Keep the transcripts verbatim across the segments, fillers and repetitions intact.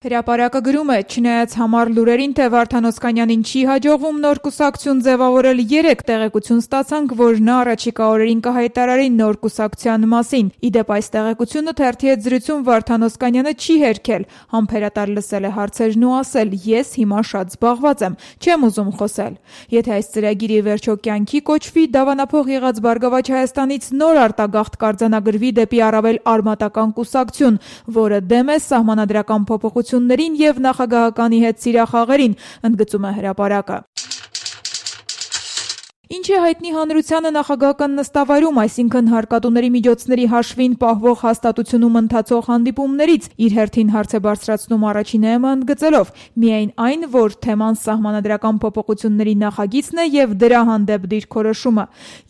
Հրապարակը գրում է, չնայած համառ լուրերին, թե Վարդան Օսկանյանին չի հաջողվում նոր կուսակցություն ձևավորել, երեկ տեղեկություն ստացանք, որ նա առաջիկա օրերին կհայտարարի նոր կուսակցության մասին։ Ի դեպ, այս տեղեկությունը թերթի հետ զրույցում Վարդան Օսկանյանը չի հերքել, համբերատար լսել է հարցերն ու ասել՝ ես հիմա շատ զբաղված եմ, չեմ ուզում խոսել։ Եթե այս ծրագիրը ի վերջո կյանքի կոչվի, դավանափող եղած Բարգավաճ Հայաստանից նոր արտագաղթ կարձանագրվի դեպի առավել արմատական կուսակցություն, որը դեմ է սահմանադրական փոփոխություններին և նախագահականի հետ սիրախաղերին, ընդգծում է հրապարակը։ Ինչ է հայտնի հանրությանը նախագահական նստավայրում, այսինքն հարկատուների միջոցների հաշվին պահվող հաստատությունում ընթացող հանդիպումներից, իր հերթին հարց է բարձրացնում առաջինը ընդգծելով միայն այն, որ թեման սահմանադրական փոփոխությունների նախագիծն է և դրա հանդեպ դիրքորոշումը։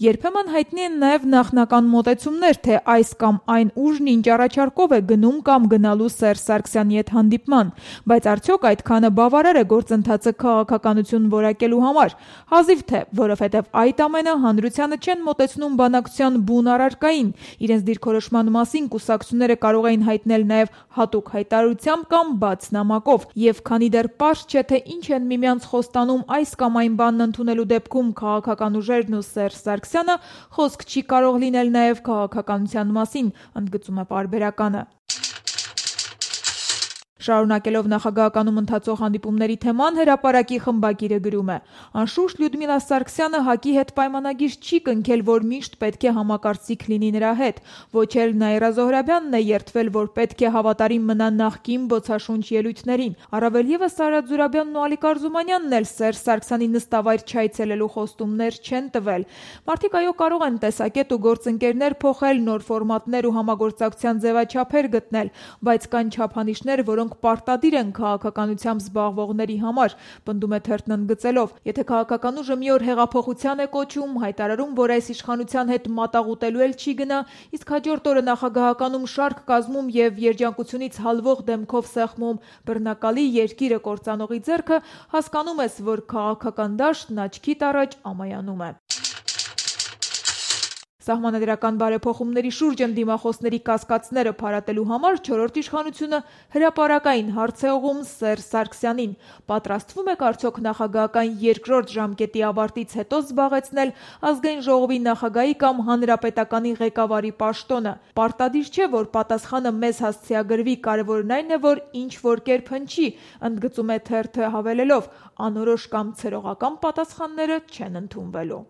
Երբեմն հայտնի են նաև նախնական մոտեցումներ, թե այս կամ այն ուժն ինչ առաջարկով է գնում կամ գնալու Սերժ Սարգսյանի հետ հանդիպման, բայց արդյոք այդքանը բավարար է գործընթացը քաղաքականություն որակելու համար։ Հազիվ թե, որովհետև այդ ամենը հանրությանը չեն մոտեցնում բանակցության բուն առարկային, իրենց դիրքորոշման մասին կուսակցությունները կարող էին հայտնել նաև հատուկ հայտարարությամբ կամ բաց նամակով, և քանի դեռ պարզ չէ, թե ինչ են միմյանց խոստանում այս կամ այն բանն ընդունելու դեպքում քաղաքական ուժերն ու Սերժ Սարգսյանը, խոսք չի կարող լինել նաև քաղաքականության մասին, ընդգծում է պարբերականը։ Շարունակելով նախագահականում ընթացող հանդիպումների թեման, հրապարակի խմբագիրը գրում է. անշուշտ Լյուդմիլա Սարգսյանը ՀԱԿ-ի հետ պայմանագիր չի կնքել, որ միշտ պետք է համակարծիք լինի նրա հետ, ոչ էլ Նաիրա Զոհրաբյանն է երդվել, որ պետք է հավատարիմ մնա նախկին բոցաշունչ ելույթներին։ Առավել ևս Արադ Զուրաբյանն ու Ալիկ Արզումանյանն էլ Սերժ Սարգսյանի նստավայր չայցելելու խոստումներ չեն տվել։ Մարդիկ այո կարող են տեսակետ ու գործընկերներ փոխել, նոր ֆորմատներ ու համագործակցության ձևաչափեր գտնել, բայց կան չափանիշներ, որոնք պարտադիր են քաղաքականությամբ զբաղվողների համար, պնդում է թերթն ընդգծելով. եթե քաղաքական ուժը մի օր հեղափոխության է կոչում, հայտարարում, որ այս իշխանության հետ մատաղ ուտելու էլ չի գնա, իսկ հաջորդ օրը նախագահականում շարք կազմում և երջանկությունից հալվող դեմքով սեղմում բռնակալի երկիրը կործանողի ձեռքը, հասկանում ես, որ քաղաքական դաշտն աչքիդ առաջ ամայանում է։ Սահմանադրական բարեփոխումների շուրջ ընդդիմախոսների կասկածները փարատելու համար չորրորդ իշխանությունը հրապարակային հարց է ուղղում Սերժ Սարգսյանին. պատրաստվում եք արդյոք նախագահական երկրորդ ժամկետի ավարտից հետո զբաղեցնել Ազգային ժողովի նախագահի կամ հանրապետականի ղեկավարի պաշտոնը։ Պարտադիր չէ, որ պատասխանը մեզ հասցեագրվի, կարևորն այն է, որ ինչ որ կերպ հնչի, ընդգծում է թերթը հավելելով. անորոշ կամ ցրողական պատասխանները չեն ընդունվելու։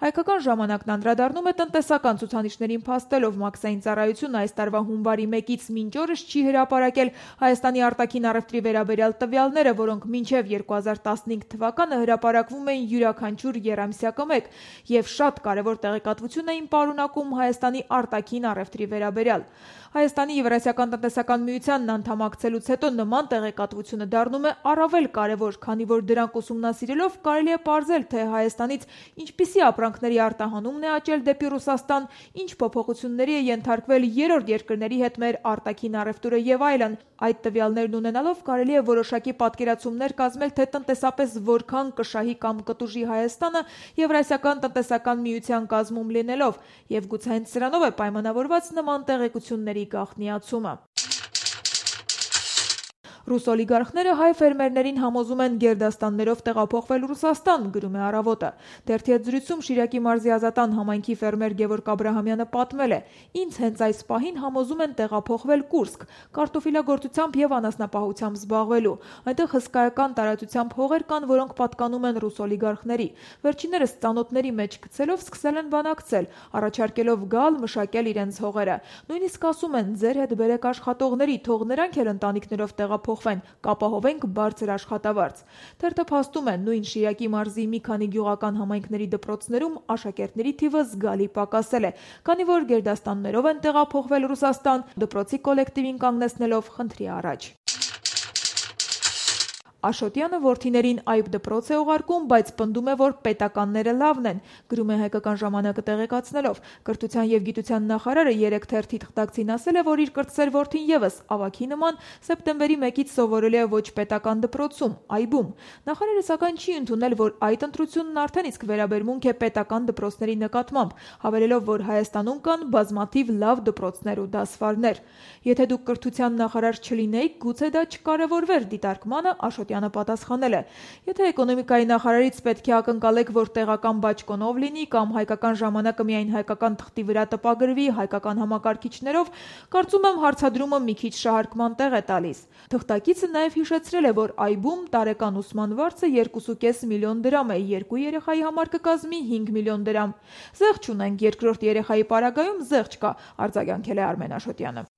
Հայկական ժամանակն անդրադառնում է տնտեսական ցուցանիշներին փաստելով մաքսային ծառայությունը այս տարվա հունվարի մեկից մինչ օրս չի հրապարակել Հայաստանի արտաքին առևտրի վերաբերյալ տվյալները, որոնք մինչև երկու հազար տասնհինգ թվականը հրապարակվում էին յուրաքանչյուր եռամսյակը մեկ և շատ կարևոր տեղեկատվություն էին պարունակում Հայաստանի արտաքին առևտրի վերաբերյալ։ Հայաստանի Եվրասիական տնտեսական միությանն անդամակցելուց հետո նման տեղեկատվությունը դառնում է առավել կարևոր, քանի որ դրանք ուսումնասիրելով կարելի է պարզել, թե Հայաստանից ինչպիսի ապրանքների արտահանումն է աճել դեպի Ռուսաստան, ինչ փոփոխությունների է ենթարկվել երրորդ երկրների հետ մեր արտաքին առևտուրը և այլն։ Այդ տվյալներն ունենալով կարելի է որոշակի պատկերացումներ կազմել, թե տնտեսապես որքան կշահի կամ կտուժի Հայաստանը Եվրասիական տնտեսական միության կազմում լինելով, և գուցե հենց սրանով է պայմանավորված նման տեղեկությունների գաղտնիացումը։ Ռուս օլիգարխները հայ ֆերմերներին համոզում են գերդաստաններով տեղափոխվել Ռուսաստան, գրում է Առավոտը։ Թերթի հետ զրույցում Շիրակի մարզի Ազատան համայնքի ֆերմեր Գևորգ Աբրահամյանը պատմել է. ինձ հենց այս պահին համոզում են տեղափոխվել Կուրսկ, կարտոֆիլագործությամբ և անասնապահությամբ զբաղվելու։ Այնտեղ հսկայական տարածությամբ հողեր կան, որոնք պատկանում են ռուս օլիգարխների։ Վերջիններս ծանոթների մեջ գցելով սկսել են բանակցել, առաջարկելով գալ մշակել իրենց հողերը։ Նույնիսկ ասում են՝ ձեր հետ բերեք աշխատողների, թող նրանք էլ ընտանիքներով տեղափոխվեն, կապահովենք բարձր աշխատավարձ։ Թերթը փաստում է, նույն Շիրակի մարզի մի քանի գյուղական համայնքների դպրոցներում աշակերտների թիվը զգալի պակասել է, քանի որ գերդաստաններով են տեղափոխվել Ռուսաստան, դպրոցի կոլեկտիվին կանգնեցնելով խնդրի առաջ։ Աշոտյանը որդիներին այբ դպրոց է ուղարկում, բայց պնդում է, որ պետականները լավն են, գրում է Հայկական ժամանակը տեղեկացնելով։ Կրթության և գիտության նախարարը երեկ թերթի թղթակցին ասել է, որ իր կրտսեր որդին ևս ավագի նման սեպտեմբերի մեկից սովորել է ոչ պետական դպրոցում, այբում։ Նախարարը սակայն չի ընդունել, որ այդ ընտրությունն արդեն իսկ վերաբերմունք է պետական դպրոցների նկատմամբ, հավելելով, որ Հայաստանում կան բազմաթիվ լավ դպրոցներ ու դասվարներ։ Եթե դուք կրթության նախարար չլինեիք, գուցե դա չկարևորվեր դիտարկմանը, Աշոտյանը պատասխանել է. Եթե էկոնոմիկայի նախարարից պետք է ակնկալեք, որ տեղական բաճկոնով լինի կամ Հայկական ժամանակը միայն հայկական թղթի վրա տպագրվի հայկական համակարգիչներով, կարծում եմ հարցադրումը մի քիչ շահարկման տեղ է տալիս։ Թղթակիցը նաև հիշեցրել է, որ այբում տարեկան ուսման վարձը երկու կես միլիոն դրամ է, երկու երեխայի համար կկազմի հինգ միլիոն դրամ։ Զեղչ չունենք, երկրորդ երեխայի պարագայում զեղչ կա, արձագանքել է Արմեն Աշոտյանը։